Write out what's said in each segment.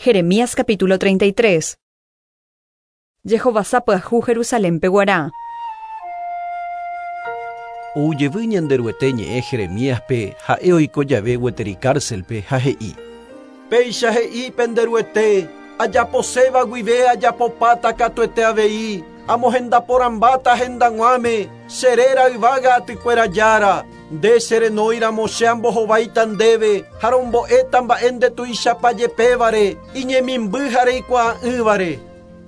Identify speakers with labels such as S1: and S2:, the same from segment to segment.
S1: Jeremías capítulo 33. Jehovasa pyahu Jerusalénpe guarã.
S2: Ou jevy Ñanderuete ñe'ẽ Jeremíaspe ha'e oiko jave gueteri cárcelpe ha he'i. Péicha he'i pende Ruete, Ajaposéva guive ajapopáta katuete avei, amohenda porãmbáta hendag̃uáme, che réra yvága atykuéra Jára. Nde che renóiramo che ambohováita ndéve ha rombo'éta mba'e nde tuichapa jepévare, iñemimby ha reikuaa'ỹvare.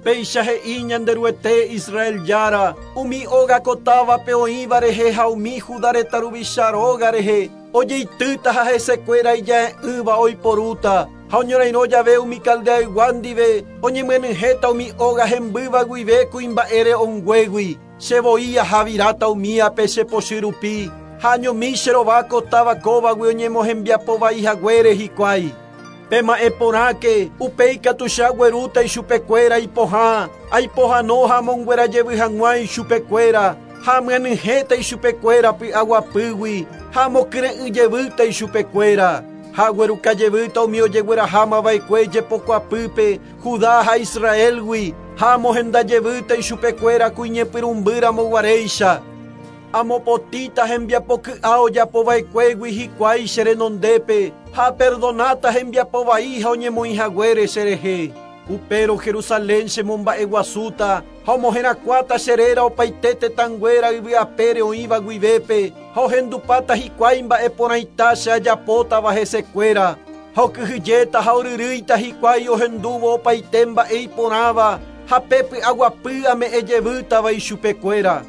S2: Péicha he'i Ñanderuete, Israel Jára, umi óga ko távape oĩva rehe ha umi Judá retã ruvicha róga rehe, ojeitýta ha hesekuéra ija'e'ỹva oiporúta, ha oñorairõ jave umi Caldeaygua ndive, oñemyenyhẽta umi óga hembýva guive kuimba'e re'õnguégui. Che voi ahaviráta umíape che pochy rupi, ha añomi che rova ko táva kóvagui oñemohembiapo vai haguére hikuái. Pema'ẽ porãke, upéi katu che aguerúta ichupekuéra ipohã, aipohãno ha amonguera jevy hag̃ua ichupekuéra, ha amyanyhẽta ichupekuéra py'aguapýgui, ha amokyre'ỹ jevýta ichupekuéra. Ha agueruka jevýta umi ojegueraháma va'ekue jepokuapýpe Judá ha Israélgui, ha amohenda jevýta ichupekuéra ku iñepyrũmby ramo guaréicha. Amopotĩta hembiapo ky'a ojapo va'ekuégui hikuái che renondépe, ha aperdonáta hembiapo vai ha oñemoĩ haguére che rehe. Upérõ Jerusalén che momba'eguasúta ha omoherakuãta che réra opaite tetãnguéra yvy apére oĩva guivépe, ha ohendupáta hikuái mba'e porãita che ajapótava hesekuéra. Ha okyhyjéta ha oryrýita hikuái ohendúvo opaite mba'e iporãva ha pe py'aguapy ame'ẽ jevýtava ichupekuéra.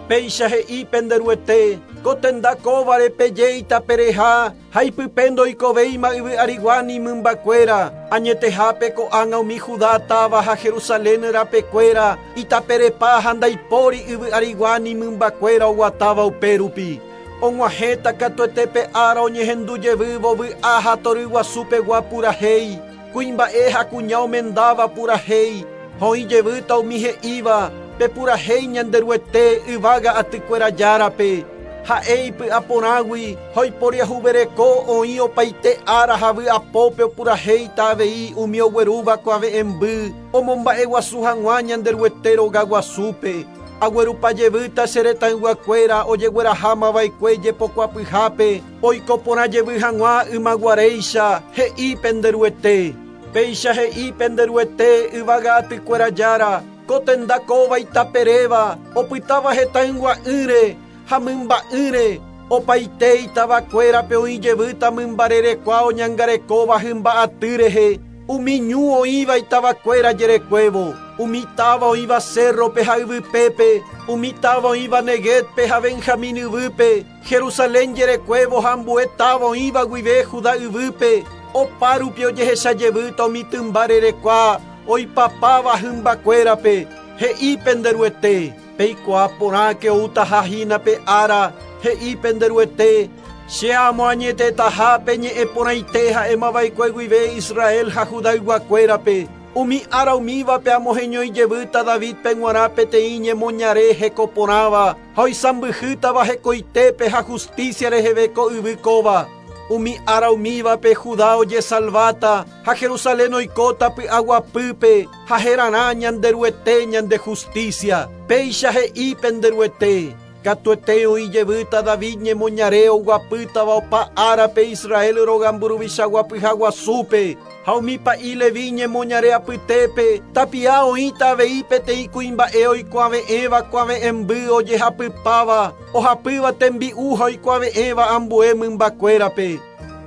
S2: Péicha he'i pende Ruete, Ko tenda kóvare peje itapereha ha ipype ndoikovéima yvy arigua ni mymbakuéra, añetehápe ko'ág̃a umi Judá táva ha Jerusalén rapekuéra itaperepa ha ndaipóri yvy arigua ni mymbakuéra oguatáva upérupi. Og̃uahẽta katuete pe ára oñehendu jevývo vy'a ha tory guasu pegua purahéi, kuimba'e ha kuña omendáva purahéi, ha oĩ jevýta umi he'íva, Pepurahéi Ñanderuete yvága atykuéra Járape, ha'e ipy'a porãgui ha oiporiahuvereko oĩ opaite ára ha vy'apópe opurahéita avei umi oguerúva kuave'ẽmby omomba'eguasu hag̃ua Ñanderuete rogaguasúpe. Aguerupa jevýta che retãyguakuéra ojegueraháma va'ekue jepokuapyhápe, oiko porã jevy hag̃ua ymaguaréicha, he'i pende Ruete. Péicha he'i pende Ruete, yvága atykuéra Jára, ko tenda kóva itaperéva, opytáva hetãygua'ỹre ha mymba'ỹre, opaite itavakuérape oĩ jevýta mymba rerekua oñangarekóva hymba aty rehe, Umi ñu oĩva itavakuéra jerekuévo, umi táva oĩva cérrope ha yvypépe, umi táva oĩva Neguébpe ha Benjamín yvýpe, Jerusalén jerekuévo ha ambue táva oĩva guive Judá yvýpe, opárupi ojehecha jevýta umi tymba rerekua oipapáva hymbakuérape, he'i pende Ruete. Peikuaa porãke outaha hína pe ára, he'i pende Ruete, Che amoañetetaha pe ñe'ẽ porãite ha'emava'ekue guive Israel ha Judayguakuérape, umi ára umívape amoheñói jevýta Davídpe g̃uarã peteĩ ñemoñare heko porãva ha oisãmbyhýtava hekoitépe ha justícia reheve ko yvy kóva. Umi ára umívape Judá ojesalváta ha Jerusalén oikóta py'aguapýpe ha herarã Ñanderuete ñande justícia. Péicha he'i pende Ruete. Katuete oĩ jevýta David ñemoñare oguapýtava opa árape Israel róga mburuvicha guapyha guasúpe, ha umi pa'i Leví ñemoñare apytépe tapia oĩta avei peteĩ kuimba'e oikuave'ẽva kuave'ẽmby ojehapypáva, ohapýva tembi'u ha oikuave'ẽva ambue mymbakuérape.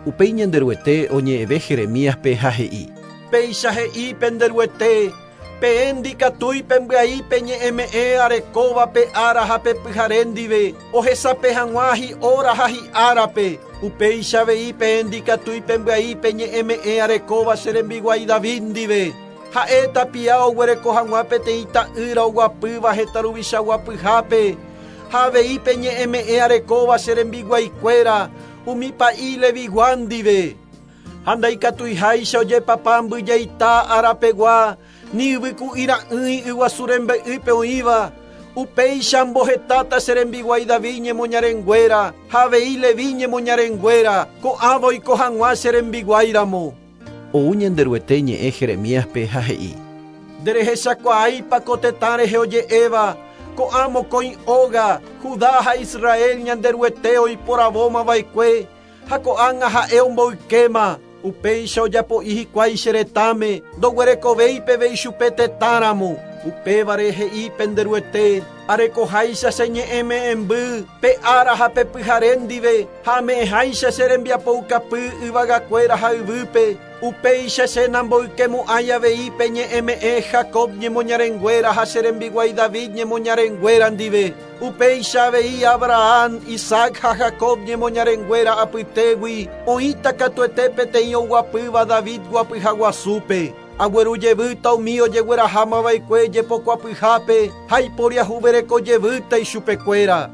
S3: Upéi Ñanderuete oñe'ẽve Jeremíaspe ha he'i.
S2: Péicha he'i pende Ruete, Peẽ ndikatúi pembyai pe ñe'ẽme'ẽ arekóva pe ára ha pe pyhare ndive, ohesape hag̃ua hi'óra ha hi'árape. Upéicha avei peẽ ndikatúi pembyai pe ñe'ẽme'ẽ arekóva che rembiguái David ndive. Ha'e tapia oguereko hag̃ua peteĩ ta'ýra oguapýva heta ruvicha guapyhápe, ha avei pe ñe'ẽme'ẽ arekóva che rembiguaikuéra, umi pa'i Levigua ndive. Ha ndaikatuiháicha ojepapa mbyjaita arapegua ni yvyku'i ra'ỹi yguasu rembe'ýpe oĩva, upéicha ambohetáta che rembiguái David ñemoñarenguéra ha avei Leví ñemoñarenguéra, ko'ãva oiko hag̃ua che rembiguái ramo.
S3: Ou Ñanderuete ñe'ẽ Jeremíaspe ha he'i:
S2: Nderehechakuaáipa ko tetã rehe oje'éva, ko'ã mokõi óga, Judá ha Israel Ñanderuete oiporavómava'ekue, ha ko'ág̃a ha'e omboykéma, upéicha ojapo'i hikuái che retãme, ndoguerekovéi peve ichupe tetãramo. Upévare he'i pende Ruete, arekoháicha che ñe'ẽme'ẽmby, pe ára ha pe pyhare ndive, ha ame'ẽháicha che rembiapoukapy yvagakuéra ha yvýpe, upéicha che namboykemo'ãi avei pe ñe'ẽme'ẽ Jacob ñemoñarenguéra ha che rembiguái David ñemoñarenguéra ndive. Upéicha avei Abraham, Isaac ha Jacob ñemoñarenguéra apytégui oĩta katuete peteĩ oguapýva David guapyhaguasúpe. Aguerujevýta umi ojeguerahámava'ekue jepokuapyhápe ha iporiahuverekojevýta ichupekuéra.